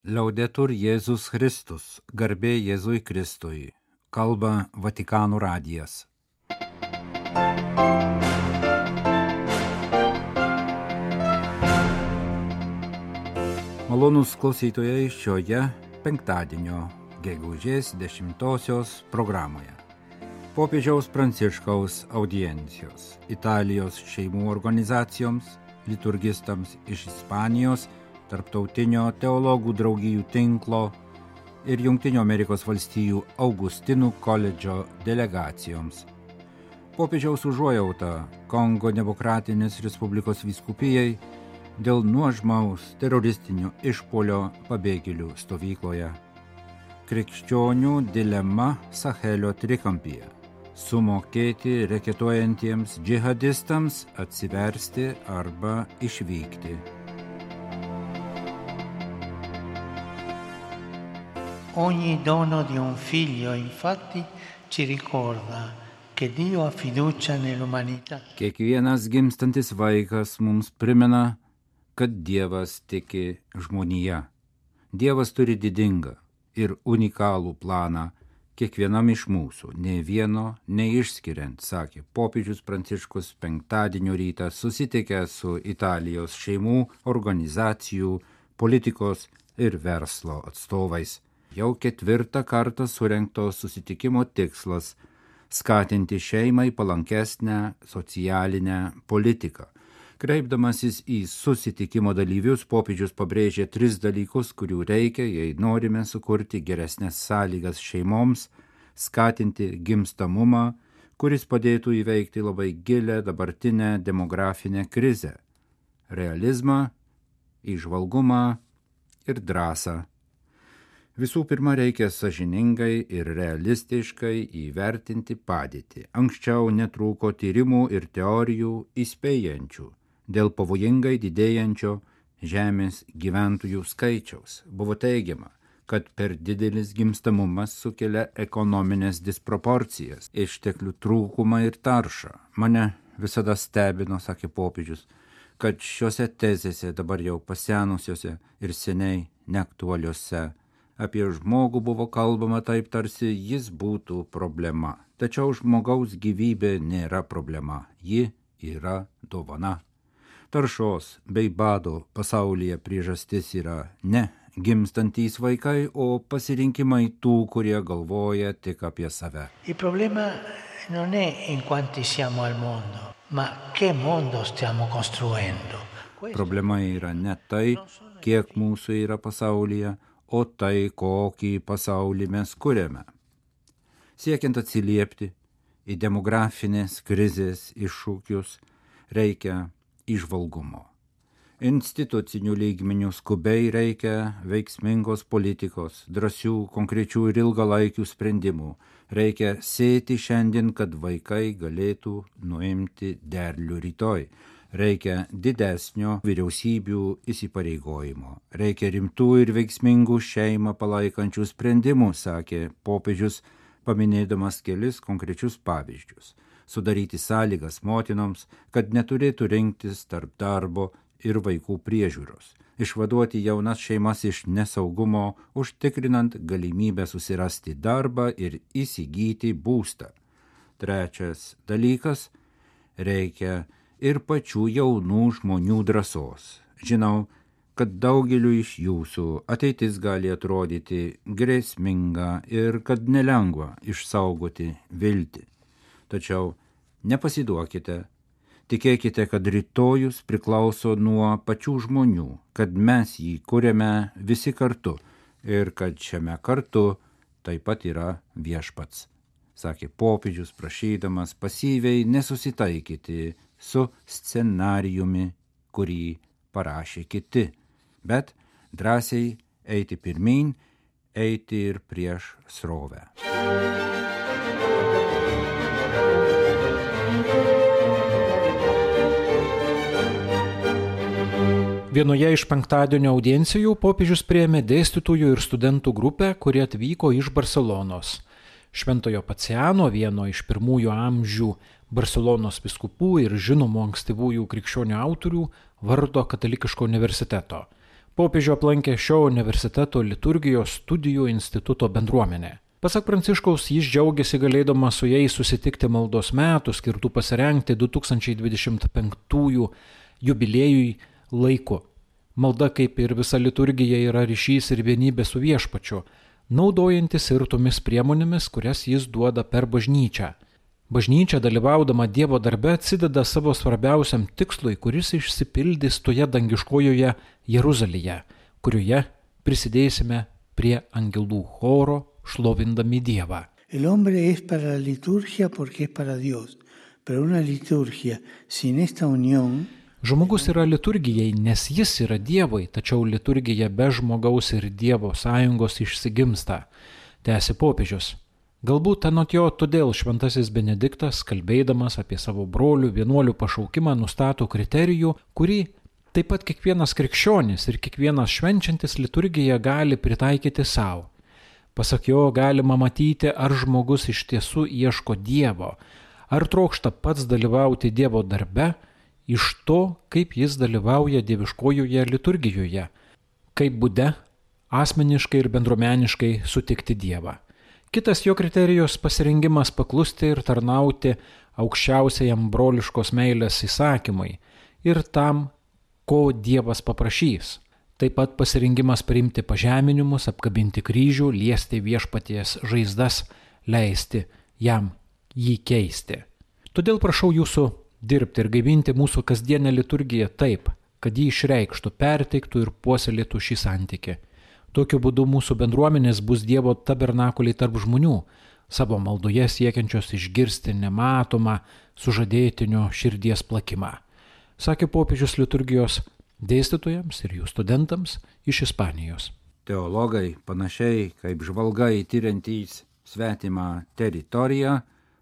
Liaudetur Jėzus Kristus, garbė Jėzui Kristui, kalba Vatikano radijas. Malonūs klausytojai šioje penktadienio gegužės 10 programoje. Popiežiaus Pranciškaus audiencijos Italijos šeimų organizacijoms, liturgistams iš Ispanijos, Tarptautinio teologų draugijų tinklo ir Jungtinių Amerikos valstijų Augustinų koledžo delegacijoms. Popiežiaus užuojauta Kongo Demokratinės Respublikos vyskupijai dėl nuožmaus teroristinio išpuolio pabėgėlių stovykloje. Krikščionių dilema Sahelio trikampyje. Sumokėti reketuojantiems džihadistams atsiversti arba išvykti. Ogni dono di un figlio, infatti, ci ricorda che Dio ha fiducia nell'umanità. Kiekvienas gimstantis vaikas mums primena, kad Dievas tiki žmonija. Dievas turi didingą ir unikalų planą kiekvienam iš mūsų, nei vieno neišskiriant, sakė popiežius Pranciškus penktadienio rytą susitikęs su Italijos šeimų organizacijų, politikos ir verslo atstovais. Jau 4 kartą surengto susitikimo tikslas – skatinti šeimai palankesnę socialinę politiką. Kreipdamasis į susitikimo dalyvius, popiežius pabrėžė 3 dalykus, kurių reikia, jei norime sukurti geresnės sąlygas šeimoms, skatinti gimstamumą, kuris padėtų įveikti labai gilią dabartinę demografinę krizę – realizmą, įžvalgumą ir drąsą. Visų pirma, reikia sąžiningai ir realistiškai įvertinti padėtį. Anksčiau netrūko tyrimų ir teorijų įspėjančių dėl pavojingai didėjančio žemės gyventojų skaičiaus. Buvo teigiama, kad per didelis gimstamumas sukelia ekonominės disproporcijas, išteklių trūkumą ir taršą. Mane visada stebino, sakė popiežius, kad šiuose tezėse dabar jau pasenusiuose ir seniai neaktualiuose apie žmogų buvo kalbama taip, tarsi jis būtų problema. Tačiau žmogaus gyvybė nėra problema, ji yra dovana. Taršos bei bado pasaulyje priežastis yra ne gimstantys vaikai, o pasirinkimai tų, kurie galvoja tik apie save. Il problema non è in quanti siamo al mondo, ma che mondo stiamo costruendo. Problema yra ne tai, kiek mūsų yra pasaulyje, o tai, kokį pasaulį mes kuriame. Siekiant atsiliepti į demografinės krizės iššūkius, reikia įžvalgumo. Institucinių lygmenių skubiai reikia veiksmingos politikos, drąsių, konkrečių ir ilgalaikių sprendimų. Reikia sėti šiandien, kad vaikai galėtų nuimti derlių rytoj. Reikia didesnio vyriausybių įsipareigojimo. Reikia rimtų ir veiksmingų šeimą palaikančių sprendimų, sakė popiežius, paminėdamas kelis konkrečius pavyzdžius. Sudaryti sąlygas motinoms, kad neturėtų rinktis tarp darbo ir vaikų priežiūros. Išvaduoti jaunas šeimas iš nesaugumo, užtikrinant galimybę susirasti darbą ir įsigyti būstą. Trečias dalykas – reikia ir pačių jaunų žmonių drąsos. Žinau, kad daugeliu iš jūsų ateitis gali atrodyti grėsminga ir kad nelengva išsaugoti viltį. Tačiau nepasiduokite, tikėkite, kad rytojus priklauso nuo pačių žmonių, kad mes jį kuriame visi kartu ir kad šiame kartu taip pat yra viešpats, sakė popiežius, prašydamas pasyviai nesusitaikyti su scenarijumi, kurį parašė kiti, bet drąsiai eiti pirmyn, eiti ir prieš srovę. Vienoje iš penktadienio audiencijų popiežius priėmė dėstytojų ir studentų grupę, kurie atvyko iš Barselonos. Šventojo Paciano, vieno iš pirmųjų amžių Barselonos vyskupų ir žinomų ankstyvųjų krikščionių autorių, vardo katalikiško universiteto. Popiežių aplankė šio universiteto liturgijos studijų instituto bendruomenė. Pasak Pranciškaus, jis džiaugiasi galėdamas su jais susitikti maldos metų skirtų pasirengti 2025 jubiliejui laiku. Malda, kaip ir visa liturgija, yra ryšys ir vienybė su Viešpačiu, naudojantis ir tomis priemonėmis, kurias jis duoda per bažnyčią. Bažnyčia, dalyvaudama Dievo darbe, atsideda savo svarbiausiam tikslui, kuris išsipildys toje dangiškojoje Jeruzalėje, kurioje prisidėsime prie angelų choro, šlovindami Dievą. El hombre es para la liturgia porque es para Dios, pero una liturgia sin esta unión. Žmogus yra liturgijai, nes jis yra Dievui, tačiau liturgija be žmogaus ir Dievo sąjungos išsigimsta, tęsė popiežius. Galbūt anot jo todėl šventasis Benediktas, kalbėdamas apie savo brolių vienuolių pašaukimą, nustato kriterijų, kurį taip pat kiekvienas krikščionis ir kiekvienas švenčiantis liturgiją gali pritaikyti savo. Pasak jo, galima matyti, ar žmogus iš tiesų ieško Dievo, ar trokšta pats dalyvauti Dievo darbe, iš to, kaip jis dalyvauja dieviškojoje liturgijoje, kaip būde asmeniškai ir bendruomeniškai sutikti Dievą. Kitas jo kriterijus – pasirengimas paklusti ir tarnauti aukščiausiajam broliškos meilės įsakymui ir tam, ko Dievas paprašys. Taip pat pasirengimas priimti pažeminimus, apkabinti kryžių, liesti Viešpaties žaizdas, leisti jam jį keisti. Todėl prašau jūsų dirbti ir gaivinti mūsų kasdienę liturgiją taip, kad jį išreikštų, perteiktų ir puoselėtų šį santykį. Tokiu būdu mūsų bendruomenės bus Dievo tabernakuliai tarp žmonių, savo maldoje siekiančios išgirsti nematomą sužadėtinio širdies plakimą, sakė popiežius liturgijos dėstytojams ir jų studentams iš Ispanijos. Teologai, panašiai kaip žvalgai tiriantys svetimą teritoriją,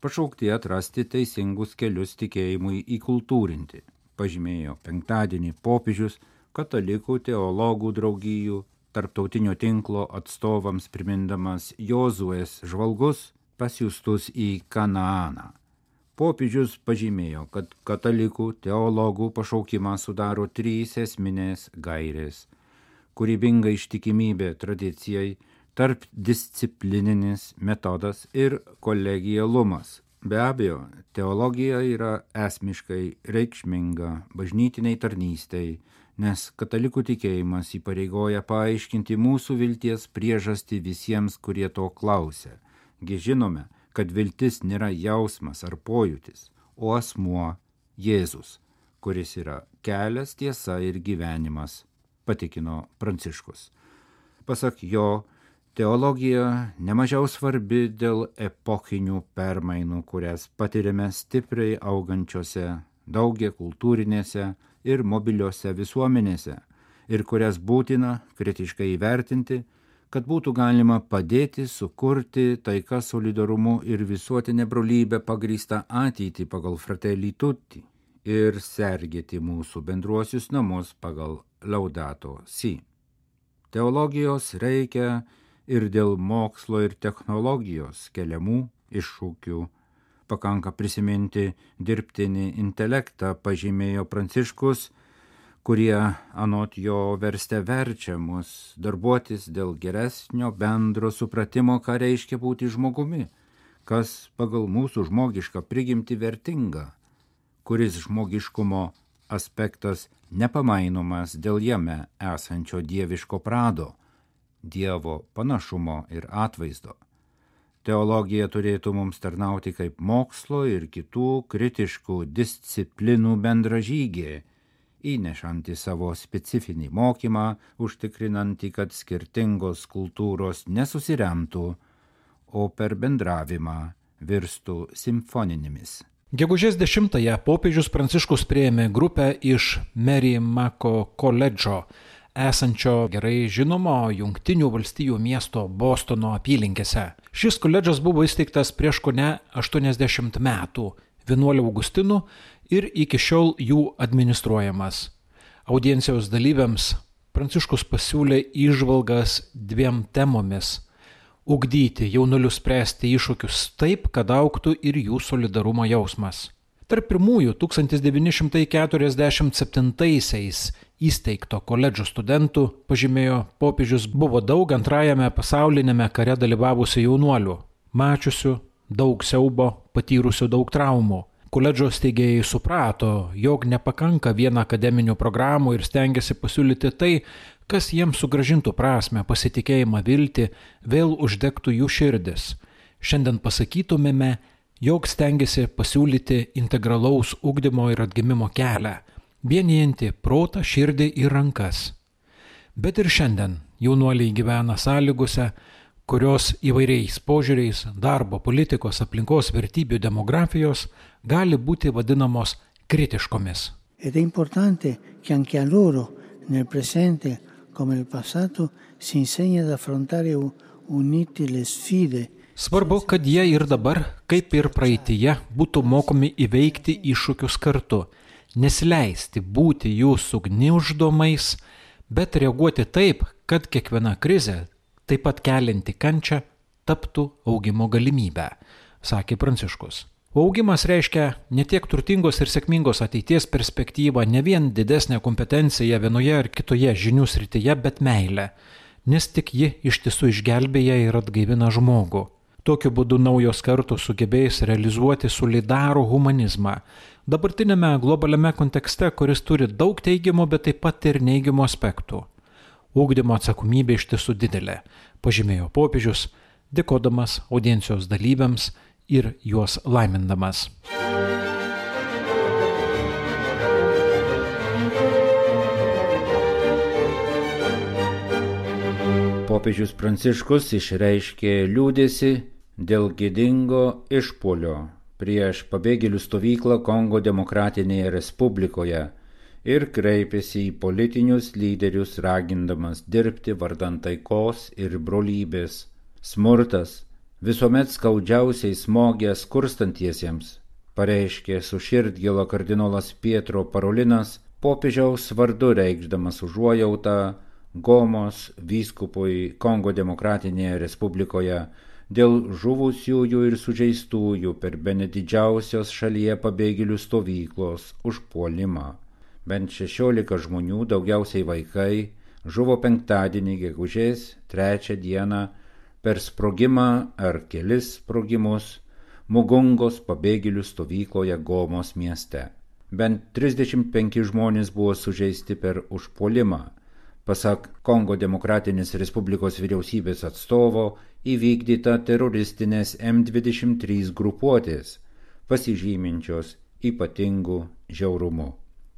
pašaukti atrasti teisingus kelius tikėjimui įkultūrinti, pažymėjo penktadienį popiežius katalikų teologų draugijų tarptautinio tinklo atstovams primindamas Jozuės žvalgus pasiųstus į Kanaaną. Popiežius pažymėjo, kad katalikų teologų pašaukimą sudaro 3 esminės gairės – kūrybinga ištikimybė tradicijai, tarpdisciplininis metodas ir kolegialumas. Be abejo, teologija yra esmiškai reikšminga bažnytiniai tarnystei, nes katalikų tikėjimas įpareigoja paaiškinti mūsų vilties priežastį visiems, kurie to klausia. Gi žinome, kad viltis nėra jausmas ar pojūtis, o asmuo Jėzus, kuris yra kelias, tiesa ir gyvenimas, patikino Pranciškus. Pasak jo, teologija nemažiau svarbi dėl epochinių permainų, kurias patiriame stipriai augančiose daugiakultūrinėse ir mobiliose visuomenėse ir kurias būtina kritiškai įvertinti, kad būtų galima padėti sukurti taiką, solidarumu ir visuotinę brolybę pagrįstą ateitį pagal Fratelli Tutti ir sergėti mūsų bendruosius namus pagal Laudato Si. Teologijos reikia ir dėl mokslo ir technologijos keliamų iššūkių. Pakanka prisiminti dirbtinį intelektą, pažymėjo Pranciškus, kurie anot jo verste verčia mus darbuotis dėl geresnio bendro supratimo, ką reiškia būti žmogumi, kas pagal mūsų žmogišką prigimtį vertinga, kuris žmogiškumo aspektas nepamainomas dėl jame esančio dieviško prado, Dievo panašumo ir atvaizdo. Teologija turėtų mums tarnauti kaip mokslo ir kitų kritiškų disciplinų bendražygė, įnešanti savo specifinį mokymą, užtikrinantį, kad skirtingos kultūros nesusiremtų, o per bendravimą virstų simfoninėmis. Gegužės 10-ąją popiežius Pranciškus priėmė grupę iš Merrimaco koledžo, esančio gerai žinomo Jungtinių valstijų miesto Bostono apylinkėse. Šis koledžas buvo įsteigtas prieš kone 80 metų vienuolių Augustinų ir iki šiol jų administruojamas. Audiencijos dalyviams Pranciškus pasiūlė įžvalgas 2 temomis – ugdyti jaunuolius spręsti iššūkius taip, kad augtų ir jų solidarumo jausmas. Tarp pirmųjų 1947-aisiais įsteigto koledžo studentų, pažymėjo popiežius, buvo daug Antrajame pasaulinėme kare dalyvavusių jaunuolių, mačiusių daug siaubo, patyrusių daug traumų. Koledžo steigėjai suprato, jog nepakanka vien akademinių programų ir stengiasi pasiūlyti tai, kas jiems sugrąžintų prasmę, pasitikėjimą, viltį, vėl uždegtų jų širdis. Šiandien pasakytumėme, jog stengiasi pasiūlyti integralaus ugdymo ir atgimimo kelią, vienijantį protą, širdį ir rankas. Bet ir šiandien jaunuoliai gyvena sąlygose, kurios įvairiais požiūriais darbo, politikos, aplinkos, vertybių, demografijos gali būti vadinamos kritiškomis. Ed è importante che anche a loro, nel presente come nel passato, si insegna ad affrontare uniti le sfide. Svarbu, kad jie ir dabar, kaip ir praeityje, būtų mokomi įveikti iššūkius kartu, nesileisti būti jų sugniuždomais, bet reaguoti taip, kad kiekviena krizė, taip pat kelianti kančią, taptų augimo galimybę, sakė Pranciškus. Augimas reiškia ne tiek turtingos ir sėkmingos ateities perspektyvą, ne vien didesnę kompetenciją vienoje ar kitoje žinių srityje, bet meilę, nes tik ji iš tiesų išgelbėja ir atgaivina žmogų. Tokiu būdu naujos kartos sugebės realizuoti solidarų humanizmą, dabartinėme globaliame kontekste, kuris turi daug teigiamų, bet taip pat ir neigiamų aspektų. Ugdymo atsakomybė iš tiesų didelė, pažymėjo popiežius, dėkodamas audiencijos dalyviams ir juos laimindamas. Popiežius Pranciškus išreiškė liūdesį dėl gėdingo išpuolio prieš pabėgėlių stovyklą Kongo Demokratinėje Respublikoje ir kreipėsi į politinius lyderius, ragindamas dirbti vardan taikos ir brolybės. Smurtas visuomet skaudžiausiai smogė skurstantiesiems, pareiškė su širdgėla kardinolas Pietro Parolinas, popiežiaus vardu reikšdamas užuojautą Gomos vyskupui Kongo Demokratinėje Respublikoje dėl žuvusiųjų ir sužeistųjų per bene didžiausios šalyje pabėgėlių stovyklos užpuolimą. Bent 16 žmonių, daugiausiai vaikai, žuvo penktadienį gegužės 3 dieną per sprogimą ar kelis sprogimus Mugungos pabėgėlių stovykloje Gomos mieste. Bent 35 žmonės buvo sužeisti per užpuolimą. Pasak Kongo Demokratinės Respublikos vyriausybės atstovo, įvykdyta teroristinės M23 grupuotės, pasižyminčios ypatingų žiaurumu.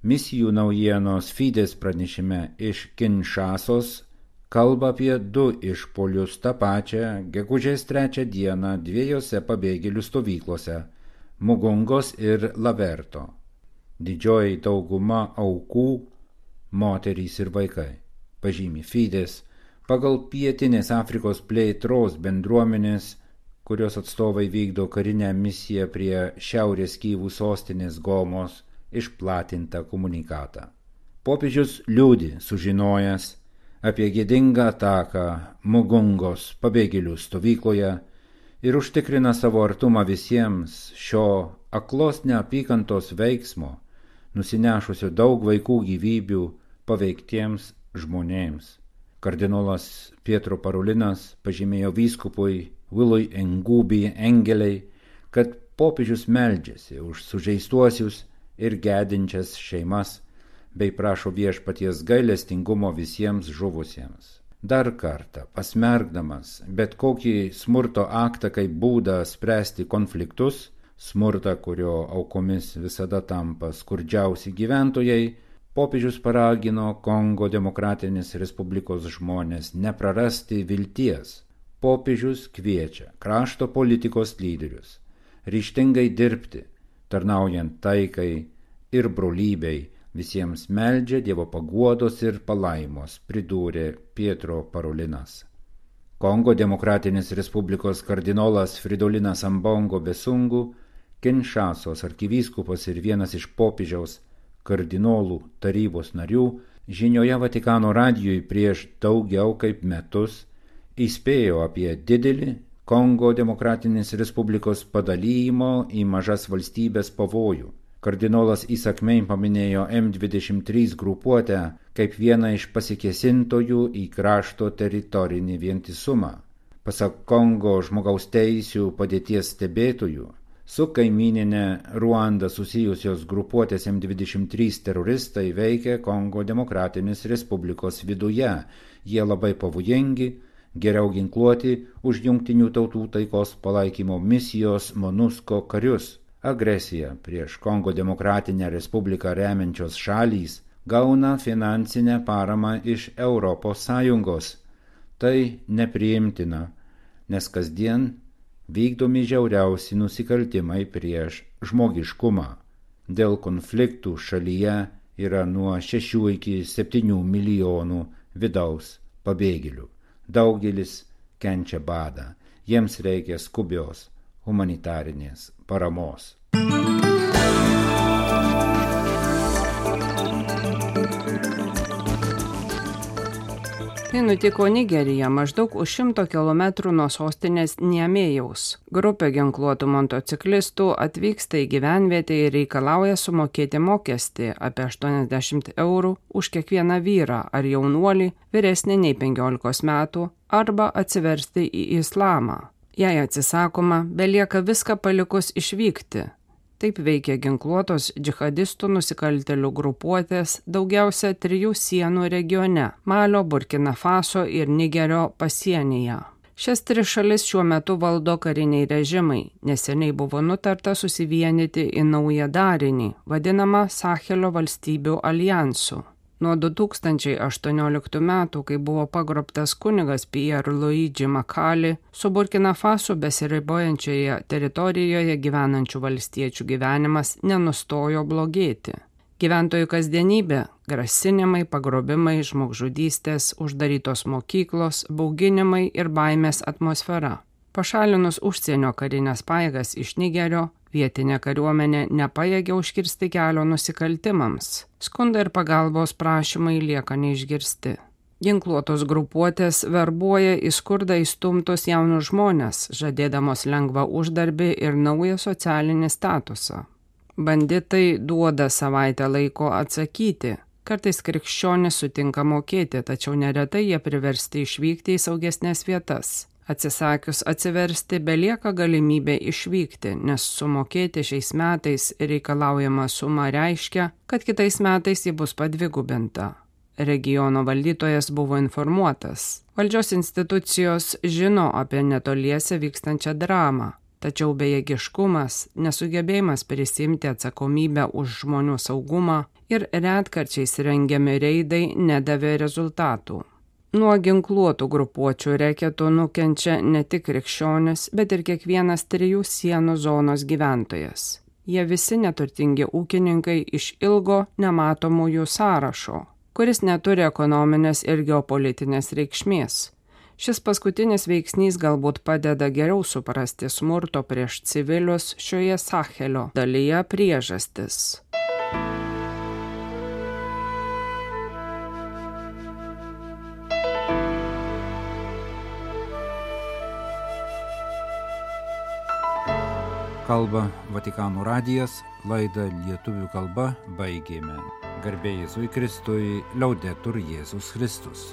Misijų naujienos Fides pranešime iš Kinšasos kalba apie 2 išpuolius tą pačią gegužės 3 dieną 2 pabėgėlių stovyklose – Mugungos ir Laverto. Didžioji dauguma aukų – moterys ir vaikai. Pažymi Fides, pagal Pietinės Afrikos plėtros bendruomenės, kurios atstovai vykdo karinę misiją prie šiaurės Kyvų sostinės Gomos, išplatintą komunikatą. Popiežius liūdi sužinojęs apie gėdingą ataką Mugungos pabėgėlių stovykloje ir užtikrina savo artumą visiems šio aklos neapykantos veiksmo, nusinešusio daug vaikų gyvybių paveiktiems žmonėms. Kardinolas Pietro Parolinas pažymėjo vyskupui Wilui Ngubi Engeliai, kad popiežius meldžiasi už sužeistuosius ir gedinčias šeimas, bei prašo viešpaties gailestingumo visiems žuvusiems. Dar kartą pasmerkdamas bet kokį smurto aktą kaip būdą spręsti konfliktus, smurtą, kurio aukomis visada tampa skurdžiausi gyventojai, popiežius paragino Kongo Demokratinės Respublikos žmonės neprarasti vilties. Popiežius kviečia krašto politikos lyderius ryžtingai dirbti, tarnaujant taikai ir brolybei, visiems meldžia Dievo paguodos ir palaimos, pridūrė Pietro Parolinas. Kongo Demokratinės Respublikos kardinolas Fridolinas Ambongo Besungu, Kinšasos arkivyskupas ir vienas iš popiežiaus kardinolų tarybos narių, žinioje Vatikano radijui prieš daugiau kaip metus įspėjo apie didelį Kongo Demokratinės Respublikos padalymo į mažas valstybės pavojų. Kardinolas įsakmiai paminėjo M23 grupuotę kaip vieną iš pasikėsintojų į krašto teritorinį vientisumą. Pasak Kongo žmogaus teisių padėties stebėtojų, su kaimyninė Ruanda susijusios grupuotės M23 teroristai veikia Kongo Demokratinės Respublikos viduje. Jie labai pavojingi, geriau ginkluoti už Jungtinių tautų taikos palaikymo misijos MONUSCO karius. Agresija prieš Kongo Demokratinę Respubliką remiančios šalys gauna finansinę paramą iš ES. Tai nepriimtina, nes kasdien vykdomi žiauriausi nusikaltimai prieš žmogiškumą. Dėl konfliktų šalyje yra nuo 6 iki 7 milijonų vidaus pabėgėlių. Daugelis kenčia badą. Jiems reikia skubios humanitarinės paramos. Tai nutiko Nigerija, maždaug už 100 km nuo sostinės Niamėjaus. Grupė ginkluotų motociklistų atvyksta į gyvenvietę ir reikalauja sumokėti mokestį apie 80 eurų už kiekvieną vyrą ar jaunuolį vyresnį nei 15 metų arba atsiversti į islamą. Jei atsisakoma, belieka viską palikus išvykti. Taip veikia ginkluotos džihadistų nusikaltėlių grupuotės daugiausia 3 sienų regione – Malio, Burkina Faso ir Nigerio pasienyje. Šias 3 šalis šiuo metu valdo kariniai režimai. Neseniai buvo nutarta susivienyti į naują darinį, vadinamą Sahelio valstybių alijansu. Nuo 2018 metų, kai buvo pagrobtas kunigas Pierre Luigi Makali, su Burkina Faso besiribojančioje teritorijoje gyvenančių valstiečių gyvenimas nenustojo blogėti. Gyventojų kasdienybė – grasinimai, pagrobimai, žmogžudystės, uždarytos mokyklos, bauginimai ir baimės atmosfera. Pašalinus užsienio karinės pajėgas iš Nigerio, vietinė kariuomenė nepajėgia užkirsti kelio nusikaltimams. Skundai ir pagalbos prašymai lieka neišgirsti. Ginkluotos grupuotės verbuoja į skurdą įstumtus jaunus žmonės, žadėdamos lengvą uždarbį ir naują socialinį statusą. Banditai duoda savaitę laiko atsakyti. Kartais krikščionys sutinka mokėti, tačiau neretai jie priversti išvykti į saugesnės vietas. Atsisakius atsiversti, belieka galimybė išvykti, nes sumokėti šiais metais reikalaujama suma reiškia, kad kitais metais ji bus padvigubinta. Regiono valdytojas buvo informuotas. Valdžios institucijos žino apie netoliese vykstančią dramą, tačiau bejėgiškumas, nesugebėjimas prisimti atsakomybę už žmonių saugumą ir retkarčiais rengiami reidai nedavė rezultatų. Nuo ginkluotų grupuočių reketų nukenčia ne tik krikščionis, bet ir kiekvienas 3 sienų zonos gyventojas. Jie visi neturtingi ūkininkai iš ilgo nematomųjų sąrašo, kuris neturi ekonominės ir geopolitinės reikšmės. Šis paskutinis veiksnys galbūt padeda geriau suprasti smurto prieš civilius šioje Sahelio dalyje priežastis. Kalba Vatikano radijas, laidą lietuvių kalba baigėme. Garbė Jėzui Kristui, Liaudetur Jėzus Kristus.